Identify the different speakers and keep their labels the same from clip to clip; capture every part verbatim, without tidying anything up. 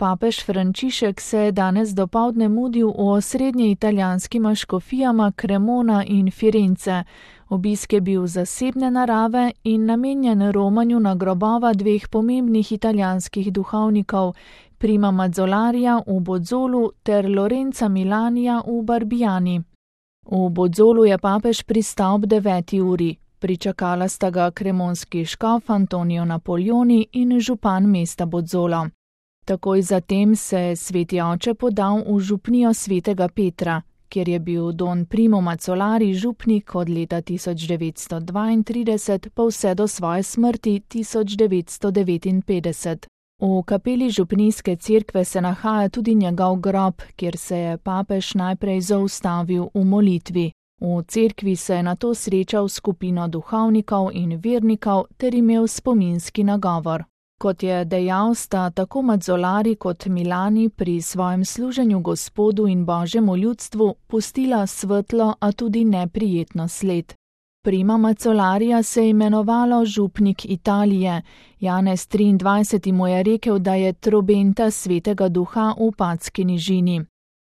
Speaker 1: Papež Frančišek se je danes dopoldne mudil v osrednje italijanskima škofijama Cremona in Firence. Obisk je bil zasebne narave in namenjen romanju na grobova dveh pomembnih italijanskih duhovnikov, Prima Mazzolarija v Bozzolu ter Lorenza Milanija v Barbiani. V Bozzolu je papež pristal ob deveti uri. Pričakala sta ga kremonski škof Antonio Napoleoni in župan mesta Bozzolo. Takoj zatem se je sveti oče podal v župnijo svetega Petra, kjer je bil don Primo Mazzolari župnik od leta tisoč devetsto dvaintrideset pa vse do svoje smrti tisoč devetsto devetinpetdeset. V kapeli župnijske cerkve se nahaja tudi njegov grob, kjer se je papež najprej zaustavil v molitvi. V cerkvi se je nato srečal s skupino duhovnikov in vernikov ter imel spominski nagovor. Kot je dejal, sta tako Mazzolari kot Milani pri svojem služenju Gospodu in Božjemu ljudstvu pustila svetlo, a tudi neprijetno sled. Prima Mazzolarija se je imenovalo župnik Italije. Janez triindvajseti mu je rekel, da je trobenta svetega duha v Padski nižini.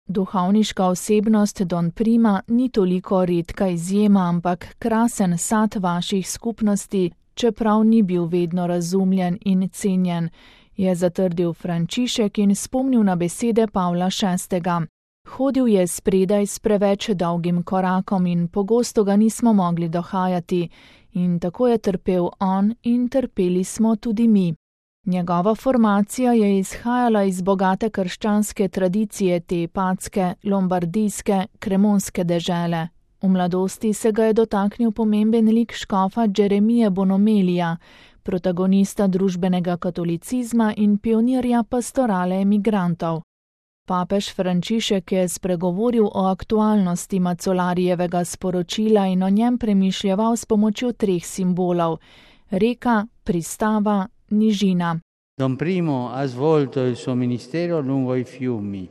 Speaker 1: Duhovniška osebnost don Prima ni toliko redka izjema, ampak krasen sad vaših skupnosti, čeprav ni bil vedno razumljen in cenjen, je zatrdil Frančišek in spomnil na besede Pavla šestega. Hodil je spredaj s preveč dolgim korakom in pogosto ga nismo mogli dohajati, in tako je trpel on in trpeli smo tudi mi. Njegova formacija je izhajala iz bogate krščanske tradicije te padske, lombardijske, kremonske dežele. V mladosti se ga je dotaknil pomemben lik škofa Jeremije Bonomelija, protagonista družbenega katolicizma in pionirja pastorale emigrantov. Papež Frančišek je spregovoril o aktualnosti Mazzolarijevega sporočila in o njem premišljeval s pomočjo treh simbolov: reka, pristava, nižina.
Speaker 2: Don Primo ha svolto il suo ministero lungo i fiumi,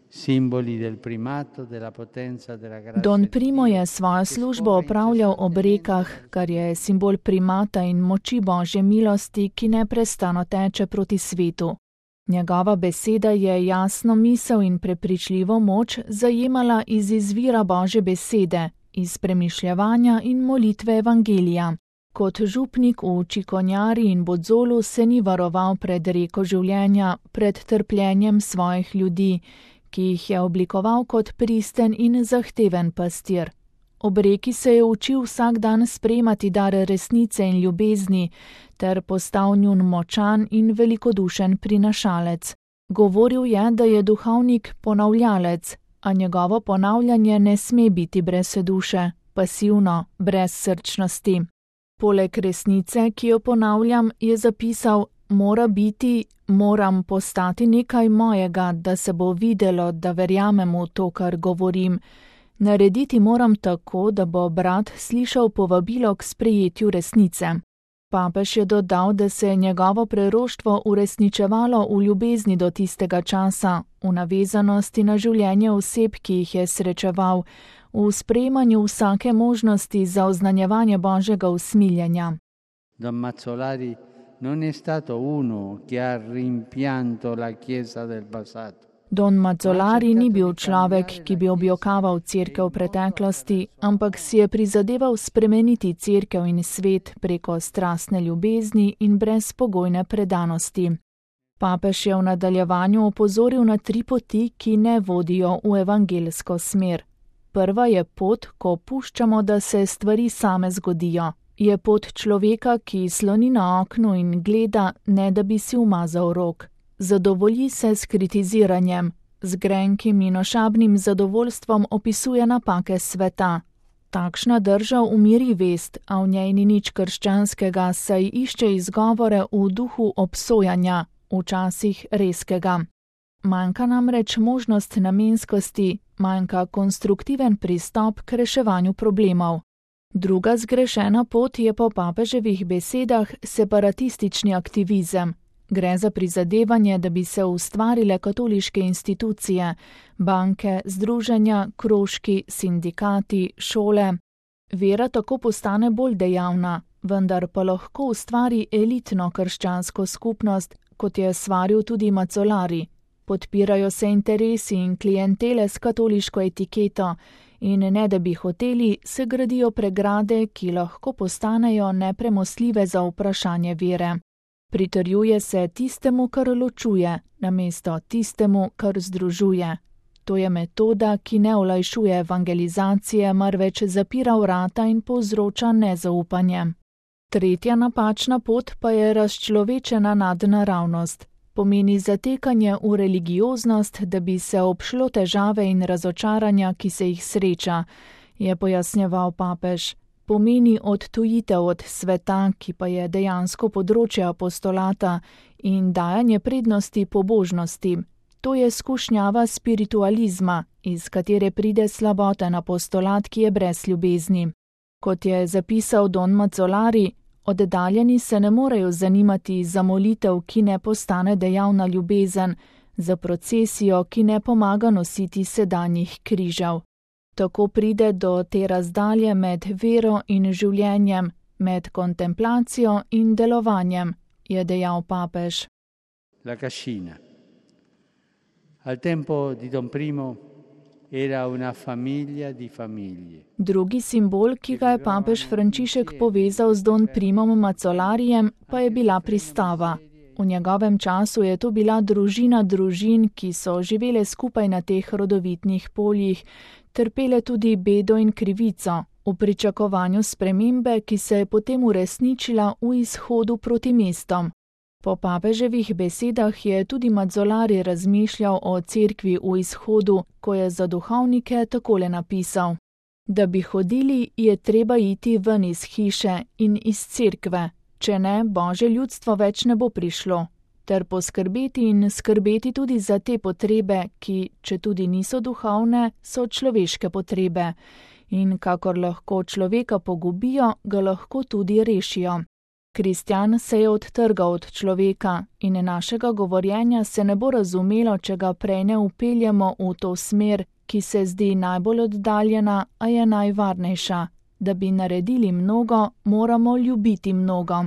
Speaker 2: simboli del primato, della potenza, della grazia.
Speaker 1: Don Primo je svojo službo opravljal ob rekah, kar je simbol primata in moči Božje milosti, ki neprestano teče proti svetu. Njegova beseda je jasno misel in prepričljivo moč zajemala iz izvira Božje besede, iz premišljevanja in molitve evangelija. Kot župnik v Čikonjari in Bozzolu se ni varoval pred reko življenja, pred trpljenjem svojih ljudi, ki jih je oblikoval kot pristen in zahteven pastir. Ob reki se je učil vsak dan sprejemati dar resnice in ljubezni, ter postal njun močan in velikodušen prinašalec. Govoril je, da je duhovnik ponavljalec, a njegovo ponavljanje ne sme biti brez duše, pasivno, brez srčnosti. Poleg resnice, ki jo ponavljam, je zapisal: mora biti, moram postati nekaj mojega, da se bo videlo, da verjamem v to, kar govorim. Narediti moram tako, da bo brat slišal povabilo k sprejetju resnice. Papež je dodal, da se je njegovo preroštvo uresničevalo v ljubezni do tistega časa, v navezanosti na življenje oseb, ki jih je srečeval, v sprejemanju vsake možnosti za oznanjevanje Božjega usmiljenja.
Speaker 2: Don Mazzolari non è stato uno che ha rimpianto la Chiesa del passato.
Speaker 1: Don Mazzolari ni bil človek, ki bi objokaval cerkev preteklosti, ampak si je prizadeval spremeniti cerkev in svet preko strastne ljubezni in brezpogojne predanosti. Papež je v nadaljevanju opozoril na tri poti, ki ne vodijo v evangelsko smer. Prva je pot, ko puščamo, da se stvari same zgodijo. Je pot človeka, ki sloni na oknu in gleda, ne da bi si umazal rok. Zadovolji se s kritiziranjem, z grenkim in ošabnim zadovoljstvom opisuje napake sveta. Takšna drža umiri vest, a v njej ni nič krščanskega, saj išče izgovore v duhu obsojanja, včasih rezkega. Manjka namreč možnost namenskosti, manjka konstruktiven pristop k reševanju problemov. Druga zgrešena pot je po papeževih besedah separatistični aktivizem. Gre za prizadevanje, da bi se ustvarile katoliške institucije, banke, združenja, krožki, sindikati, šole. Vera tako postane bolj dejavna, vendar pa lahko ustvari elitno krščansko skupnost, kot je svaril tudi Mazzolari. Podpirajo se interesi in klientele s katoliško etiketo in ne da bi hoteli, se gradijo pregrade, ki lahko postanejo nepremostljive za vprašanje vere. Pritrjuje se tistemu, kar ločuje, namesto tistemu, kar združuje. To je metoda, ki ne olajšuje evangelizacije, marveč zapira vrata in povzroča nezaupanje. Tretja napačna pot pa je razčlovečena nadnaravnost. Pomeni zatekanje v religioznost, da bi se obšlo težave in razočaranja, ki se jih sreča, je pojasnjeval papež. Pomeni odtujitev od sveta, ki pa je dejansko področje apostolata, in dajanje prednosti pobožnosti. To je skušnjava spiritualizma, iz katere pride slaboten apostolat, ki je brez ljubezni. Kot je zapisal Don Mazzolari, oddaljeni se ne morejo zanimati za molitev, ki ne postane dejavna ljubezen, za procesijo, ki ne pomaga nositi sedanjih križev. Tako pride do te razdalje med vero in življenjem, med kontemplacijo in delovanjem, je dejal papež.
Speaker 2: La cascina. Al tempo di Don Primo era una famiglia di famiglie.
Speaker 1: Drugi simbol, ki ga je papež Frančišek povezal z Don Primom Mazzolarijem, pa je bila pristava. V njegovem času je to bila družina družin, ki so živele skupaj na teh rodovitnih poljih, trpele tudi bedo in krivico, v pričakovanju spremembe, ki se je potem uresničila v izhodu proti mestom. Po papeževih besedah je tudi Mazzolari razmišljal o cerkvi v izhodu, ko je za duhovnike takole napisal: Da bi hodili, je treba iti ven iz hiše in iz cerkve, če ne, Božje ljudstvo več ne bo prišlo, ter poskrbeti in skrbeti tudi za te potrebe, ki, če tudi niso duhovne, so človeške potrebe, in kakor lahko človeka pogubijo, ga lahko tudi rešijo. Kristjan se je odtrgal od človeka in našega govorjenja se ne bo razumelo, če ga prej ne upeljemo v to smer, ki se zdi najbolj oddaljena, a je najvarnejša. Da bi naredili mnogo, moramo ljubiti mnogo.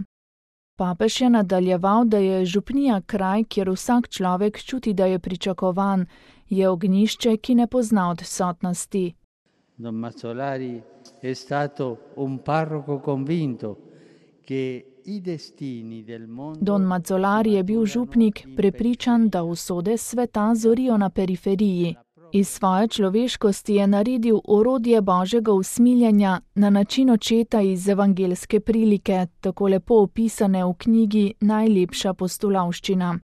Speaker 1: Papež je nadaljeval, da je župnija kraj, kjer vsak človek čuti, da je pričakovan, je ognjišče, ki ne pozna odsotnosti.
Speaker 2: Don Mazzolari je stato un parroco convinto che
Speaker 1: Don Mazzolari je bil župnik, prepričan, da usode sveta zorijo na periferiji. Iz svoje človeškosti je naredil orodje Božjega usmiljenja na način očeta iz evangelske prilike, tako lepo opisane v knjigi Najlepša postulavščina.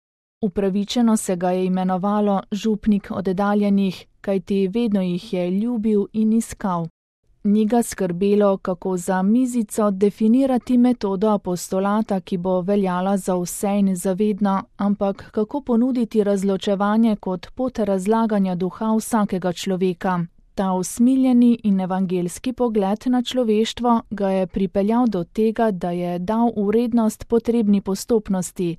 Speaker 1: Upravičeno se ga je imenovalo župnik oddaljenih, kajti vedno jih je ljubil in iskal. Ni ga skrbelo, kako za mizico definirati metodo apostolata, ki bo veljala za vse in zavedno, ampak kako ponuditi razločevanje kot pot razlaganja duha vsakega človeka. Ta usmiljeni in evangelski pogled na človeštvo ga je pripeljal do tega, da je dal vrednost potrebni postopnosti.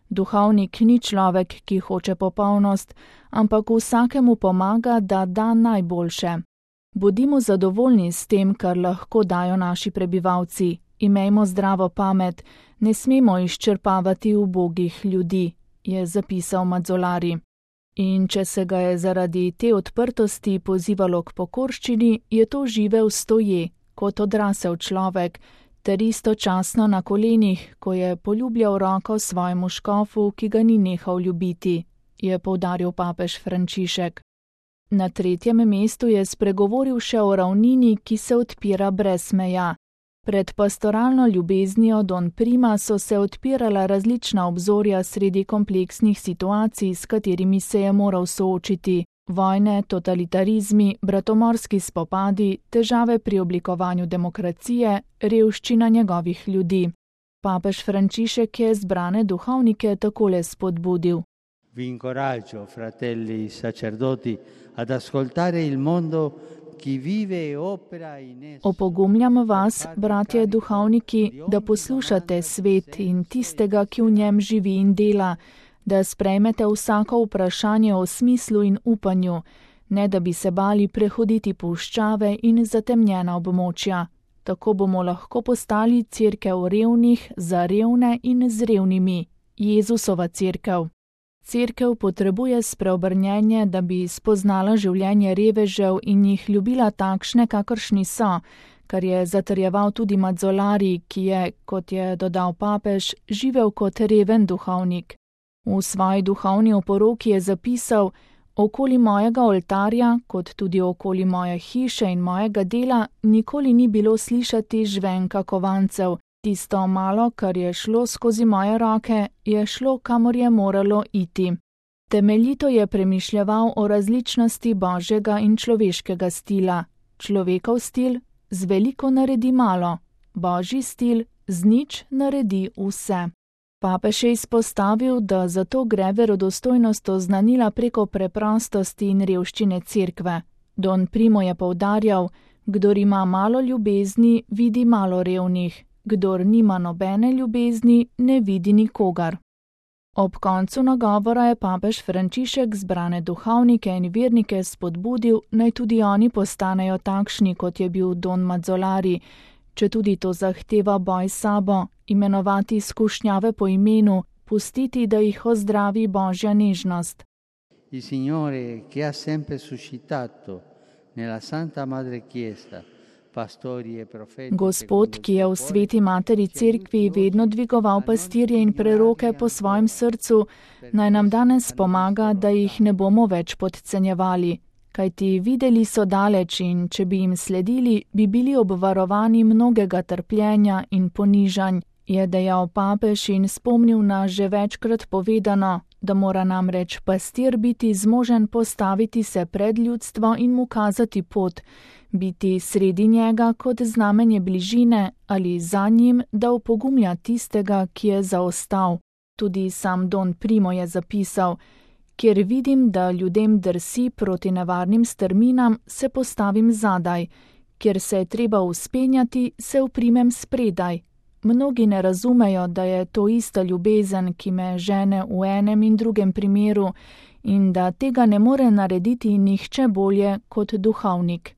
Speaker 1: Duhovnik ni človek, ki hoče popolnost, ampak vsakemu pomaga, da da najboljše. Bodimo zadovoljni s tem, kar lahko dajo naši prebivalci. Imejmo zdravo pamet, ne smemo izčrpavati ubogih ljudi, je zapisal Mazzolari. In če se ga je zaradi te odprtosti pozivalo k pokorščini, je to živel stoje, kot odrasel človek, ter istočasno na kolenih, ko je poljubljal roko svojemu škofu, ki ga ni nehal ljubiti, je poudaril papež Frančišek. Na tretjem mestu je spregovoril še o ravnini, ki se odpira brez meja. Pred pastoralno ljubeznijo Don Prima so se odpirala različna obzorja sredi kompleksnih situacij, s katerimi se je moral soočiti. Vojne, totalitarizmi, bratomorski spopadi, težave pri oblikovanju demokracije, revščina njegovih ljudi. Papež Frančišek je zbrane duhovnike takole spodbudil.
Speaker 2: Vi incoraggio, fratelli sacerdoti, ad ascoltare il mondo chi vive e opera in esso.
Speaker 1: Opogumljam vas, bratje duhovniki, da poslušate svet in tistega, ki v njem živi in dela, da sprejmete vsako vprašanje o smislu in upanju, ne da bi se bali prehoditi puščave in zatemnjena območja. Tako bomo lahko postali cerkev revnih za revne in z revnimi, Jezusova cerkev. Cerkev potrebuje spreobrnjenje, da bi spoznala življenje revežev in jih ljubila takšne, kakršni so, kar je zatrjeval tudi Mazzolari, ki je, kot je dodal papež, živel kot reven duhovnik. V svoji duhovni oporoki je zapisal: okoli mojega oltarja, kot tudi okoli moje hiše in mojega dela, nikoli ni bilo slišati žvenka kovancev. Tisto malo, kar je šlo skozi moje roke, je šlo, kamor je moralo iti. Temeljito je premišljeval o različnosti božjega in človeškega stila. Človekov stil z veliko naredi malo, božji stil z nič naredi vse. Papež je izpostavil, da zato gre verodostojnost oznanila preko preprostosti in revščine cerkve. Don Primo je poudarjal: kdor ima malo ljubezni, vidi malo revnih, kdor nima nobene ljubezni, ne vidi nikogar. Ob koncu nagovora je papež Frančišek zbrane duhovnike in vernike spodbudil, naj tudi oni postanejo takšni, kot je bil Don Mazzolari, četudi to zahteva boj s sabo, imenovati izkušnjave po imenu, pustiti, da jih ozdravi božja nežnost.
Speaker 2: Il Signore che ha sempre suscitato nella Santa Madre Chiesa pastori e profeti.
Speaker 1: Gospod, ki je v sveti materi cerkvi vedno dvigoval pastirje in preroke po svojem srcu, naj nam danes pomaga, da jih ne bomo več podcenjevali. Kajti videli so daleč in če bi jim sledili, bi bili obvarovani mnogega trpljenja in ponižanj, je dejal papež in spomnil na že večkrat povedano, da mora namreč pastir biti zmožen postaviti se pred ljudstvo in mu kazati pot, biti sredi njega kot znamenje bližine ali za njim, da opogumlja tistega, ki je zaostal. Tudi sam Don Primo je zapisal: kjer vidim, da ljudem drsi proti nevarnim strminam, se postavim zadaj, kjer se je treba vzpenjati, se uprimem spredaj. Mnogi ne razumejo, da je to ista ljubezen, ki me žene v enem in drugem primeru in da tega ne more narediti nihče bolje kot duhovnik.